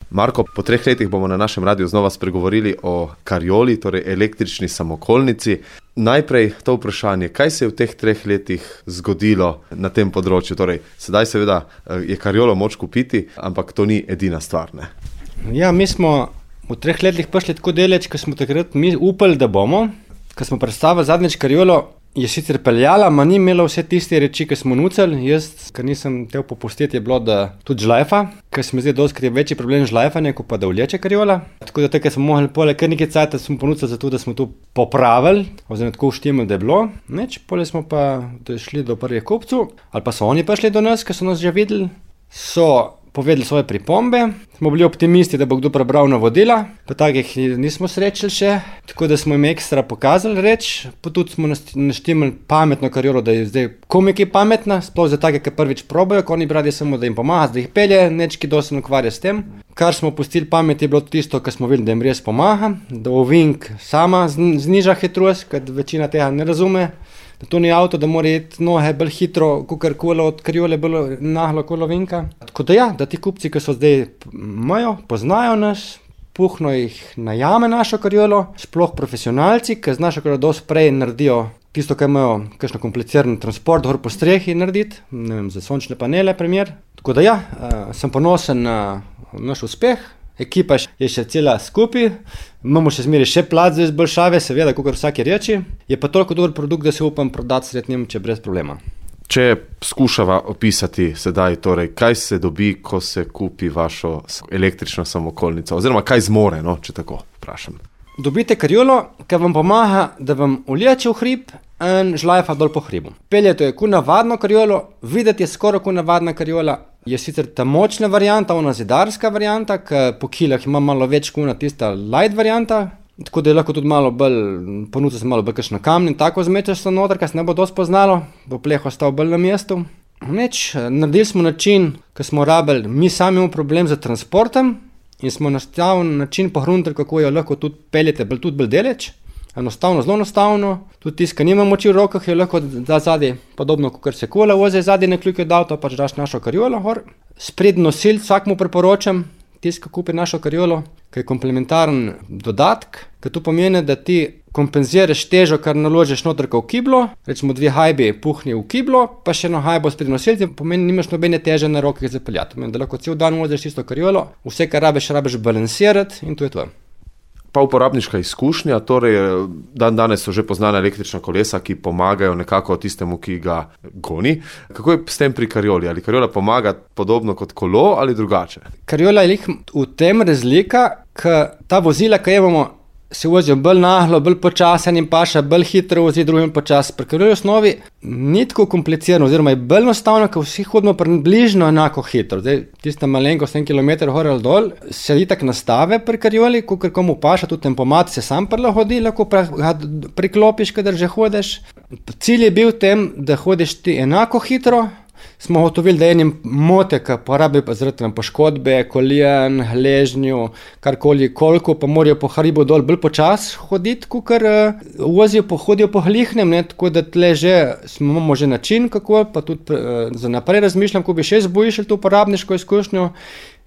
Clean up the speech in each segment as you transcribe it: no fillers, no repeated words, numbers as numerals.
Marko, po 3 letih bomo na našem radiju znova spregovorili o karioli, torej električni samokolnici. Najprej to vprašanje, kaj se je v teh 3 letih zgodilo na tem področju? Torej, sedaj seveda je kariolo moč kupiti, ampak to ni edina stvar, ne? Ja, mi smo v 3 letih prišli tako deleč, ko smo takrat mi upali, da bomo. Ko smo predstavili zadnjič kariolo, je sicer peljala, ma ni imela vse tiste reči, ki smo nucali. Jaz, ker nisem tel popustiti, je bilo, da tudi žlajfa, ker se mi zdi dosti večji problem žlajfanja, kot pa da vleče kariola. Tako da takrat smo mogli poleg kar nekaj cajta smo ponucali za to, da smo to popravili, oziroma tako uštimili, da je bilo. Neč, poleg smo pa šli do prvih kupcev, ali pa so oni prišli do nas, ker so nas že videli, so povedali svoje pripombe, smo bili optimisti, da bo kdo prebral navodila, pa takih nismo srečali še, tako da smo jim ekstra pokazali reč, pa tudi smo naštimali pametno kariolo, da je zdaj komiki pametna, sploh za take, ki prvič probajo, ko oni bradi samo, da jim pomaga, da jih pelje, nečki dosti ukvarja s tem. Kar smo pustili pamet je bilo tisto, kar smo videli, da jim res pomaga, da ovink sama zniža hitrost, ker večina tega ne razume, da to ni avto, da mora iti nohe bolj hitro, kakor kolo od kariole bolj nahlo kolo vinka. Tako da ja, da ti kupci, ki so zdaj imajo, poznajo nas, puhno jih najame našo kariolo, sploh profesionalci, ki z našo kariolo dosti prej naredijo tisto, kar imajo kakšno kompliciran transport, gor po strehi narediti, ne vem, za sončne panele, primer. Tako da ja, sem ponosen na naš uspeh. Ekipa je še cela skupaj, imamo še zmeri še plac za izboljšave, seveda, kakor vsaki reči, je pa toliko dober produkt, da se upam prodati sred Nemčije brez problema. Če skušava opisati sedaj, torej, kaj se dobi, ko se kupi vašo električno samokolnico, oziroma kaj zmore, no, če tako vprašam. Dobite kariolo, ki vam pomaga, da vam vleče v hrib in žlajfa dol po hribu. Peljete je kot navadno kariolo, videti je skoraj kot navadna kariola, je sicer ta močna varianta, ona zidarska varianta, ki po kilah ima malo več kot tista light varianta, tako da je lahko tudi malo bolj, ponuca se malo bolj kakšno kamni in tako zmečeš se noter, kar se ne bo dosti poznalo, bo pleh ostal bolj na mestu. Neč, naredili smo način, ki smo rabili, mi sami imamo problem z transportom in smo nastavili način pohruntili, kako jo lahko tudi peljete tudi bolj deleč. Enostavno, zelo enostavno, tudi tisti, ki nima moči v rokah, je lahko da zadaj, podobno kot se kola vozi zadaj na kljuke od avto, pač daš našo kariolo gor. Sprednji nosilc vsakmu priporočam, tisti, ki kupi našo kariolo, ki je komplementaren dodatek, ki to pomeni, da ti kompenziraš težo, kar naložiš noter v kiblo, recimo 2 hajbi puhni v kiblo, pa še eno hajbo sprednji nosilc, pomeni, nimaš nobene teže na rokah zapeljati. Pomeni, da lahko cel dan voziš tisto kariolo, vse, kar rabiš balansirati in to je to. Pa uporabniška izkušnja, torej danes so že poznane električna kolesa, ki pomagajo nekako tistemu, ki ga goni. Kako je s tem pri karioli? Ali kariola pomaga podobno kot kolo ali drugače? Kariola je v tem razlika, ker ta vozila, ki imamo, se vozijo bolj nahlo, bolj počasen in paša, bolj hitro vozi, drugim počas. Pri karioli osnovi ni tako komplicirano, oziroma je bolj enostavno, ker vsi hodimo približno enako hitro. Zdaj, tista malenkost 1 kilometer hor ali dol, se itak nastave pri karioli, kakor komu paša, tudi tempomat se sam prilagodi, lahko priklopiš, kadar že hodiš. Cilj je bil tem, da hodiš ti enako hitro. Smo gotovili, da enim mote, ki porabi zaradi poškodbe, koljen, hležnju, karkoli, koliko, pa morajo po hribu dol bolj počas hoditi, kakor hodijo po hlihnem, ne, tako da tle že imamo že način, kako, pa tudi za naprej razmišljam, ko bi še zboljšali to uporabniško izkušnjo,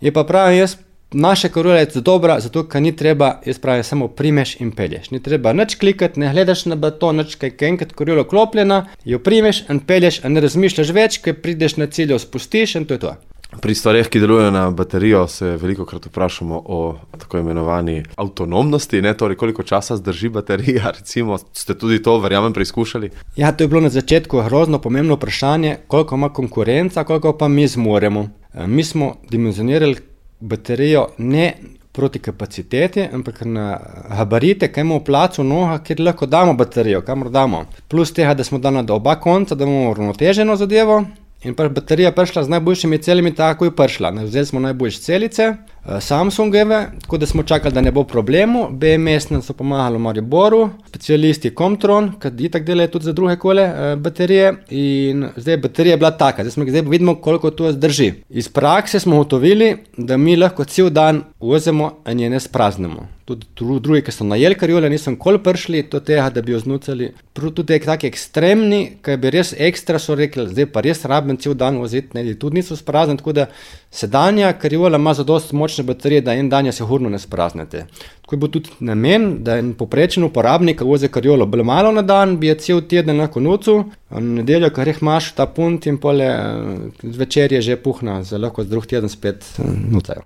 je pa pravim jaz, naša kariola je dobra, zato ker ni treba, jaz pravim, samo primeš in pelješ. Ni treba nič klikati, ne gledaš na baton, nič kaj enkrat kariola klopljena, jo primeš in pelješ, in ne razmišljaš več, ker prideš na cilj, jo spustiš in to je to. Pri stvareh, ki delujejo na baterijo, se velikokrat vprašamo o tako imenovani avtonomnosti, ne, torej koliko časa zdrži baterija, recimo, ste tudi to, verjamem, preizkušali? Ja, to je bilo na začetku grozno pomembno vprašanje, koliko ima konkurenca, koliko pa mi zmoremo. Mi smo dimenzionirali baterijo ne proti kapaciteti, ampak na gabarite, kaj imamo plac v nogah, kjer lahko damo baterijo, kamor damo. Plus tega, da smo dali do oba konca, da imamo uravnoteženo zadevo. In baterija prišla z najboljšimi celimi, tako je prišla. Vzeli smo najboljše celice, Samsungove, tako da smo čakali, da ne bo problemu. BMS nam so pomagali v Mariboru, specialisti Comtron, ki itak delajo tudi za druge kole baterije. In zdaj baterija je bila taka, zdaj vidimo, koliko to zdrži. Iz prakse smo ugotovili, da mi lahko cel dan vozimo in je ne spraznemo. Tudi drugi, ki so najeli kariole, nisem kol prišli do tega, da bi jo znucali. Tudi taki ekstremni, ki bi res ekstra so rekli, zdaj pa res rabim cel dan voziti, ne, tudi niso sprazni, tako da Sedanja kariola ima zadosti močne baterije, da en dan je sigurno ne spraznete. Tako je bil tudi namen, da en poprečen uporabnik vozi kariolo bolj malo na dan, bi je cel teden lahko nocu, na nedeljo, kar jih imaš ta punt in pole zvečer je že puhna, za lahko drug teden spet nucajo.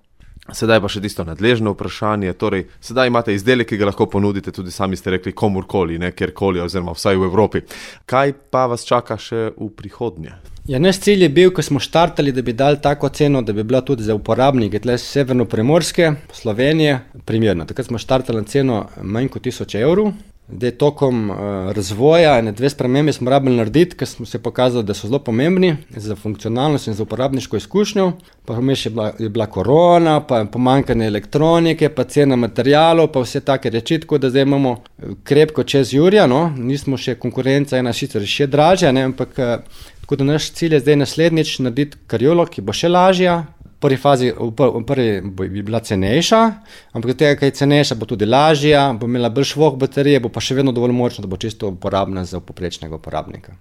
Sedaj pa še tisto nadležno vprašanje, torej sedaj imate izdelek, ki ga lahko ponudite, tudi sami ste rekli, komurkoli, ne kjerkoli, oziroma vsaj v Evropi. Kaj pa vas čaka še v prihodnje? Ja, naš cilj je bil, ko smo štartali, da bi dali tako ceno, da bi bila tudi za uporabnike tle Severno-Primorske, Slovenije, primerna. Takrat smo štartali na ceno manj kot 1000 evrov. Zdaj, tokom razvoja in 2 spremembe smo rabili narediti, ker smo se pokazali, da so zelo pomembni za funkcionalnost in za uporabniško izkušnjo. Pa vmes je bila korona, pa pomanjkanje elektronike, pa cena materialov, pa vse take reči, tako da zdaj imamo krepko čez Jurja, no, nismo še konkurenca, ena sicer še dražja, ne, ampak tako da naš cilj je zdaj naslednjič narediti kariolo, ki bo še lažja. V prvi fazi bi bila cenejša, ampak od tega, kaj je cenejša, bo tudi lažja, bo imela bolj švoh baterije, bo pa še vedno dovolj močna, da bo čisto uporabna za poprečnega uporabnika.